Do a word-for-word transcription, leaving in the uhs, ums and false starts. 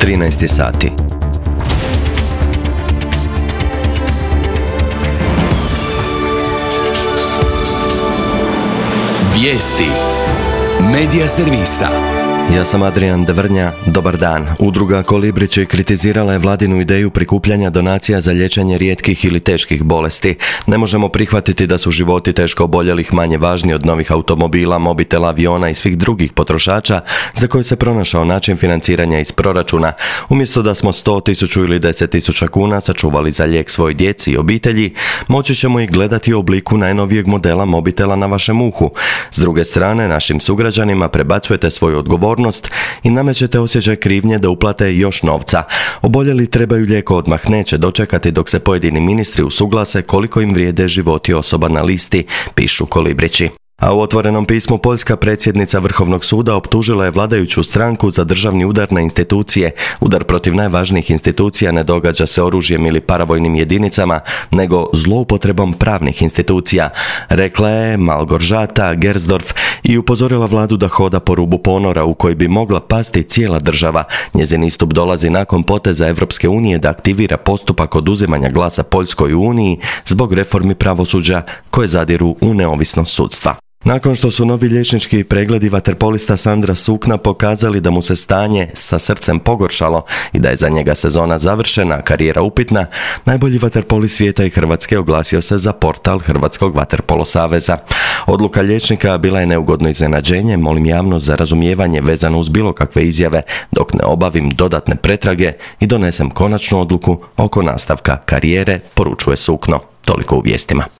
trinaest sati. Vijesti Medija servisa. Ja sam Adrian Devrnja, dobar dan. Udruga Kolibrići kritizirala je vladinu ideju prikupljanja donacija za liječenje rijetkih ili teških bolesti. Ne možemo prihvatiti da su životi teško oboljelih manje važni od novih automobila, mobitela, aviona i svih drugih potrošača za koje se pronašao način financiranja iz proračuna. Umjesto da smo sto, tisuću ili deset tisuća kuna sačuvali za lijek svoj djeci i obitelji, moći ćemo ih gledati u obliku najnovijeg modela mobitela na vašem uhu. S druge strane, našim sugrađanima prebacujete svoju odgovornost i namećete osjećaj krivnje da uplate još novca. Oboljeli trebaju lijek odmah, neće dočekati dok se pojedini ministri usuglase koliko im vrijede životi osoba na listi, pišu Kolibrići. A u otvorenom pismu poljska predsjednica Vrhovnog suda optužila je vladajuću stranku za državni udar na institucije. Udar protiv najvažnijih institucija ne događa se oružjem ili paravojnim jedinicama, nego zloupotrebom pravnih institucija, rekla je Malgorzata Gersdorf i upozorila vladu da hoda po rubu ponora u koji bi mogla pasti cijela država. Njezin istup dolazi nakon poteza Europske unije da aktivira postupak oduzimanja glasa Poljskoj uniji zbog reformi pravosuđa koje zadiru u neovisnost sudstva. Nakon što su novi liječnički pregledi vaterpolista Sandra Sukna pokazali da mu se stanje sa srcem pogoršalo i da je za njega sezona završena, a karijera upitna, najbolji vaterpoli svijeta i Hrvatske oglasio se za portal Hrvatskog vaterpolo saveza. Odluka liječnika bila je neugodno iznenađenje, molim javnost za razumijevanje vezano uz bilo kakve izjave dok ne obavim dodatne pretrage i donesem konačnu odluku oko nastavka karijere, poručuje Sukno. Toliko u vijestima.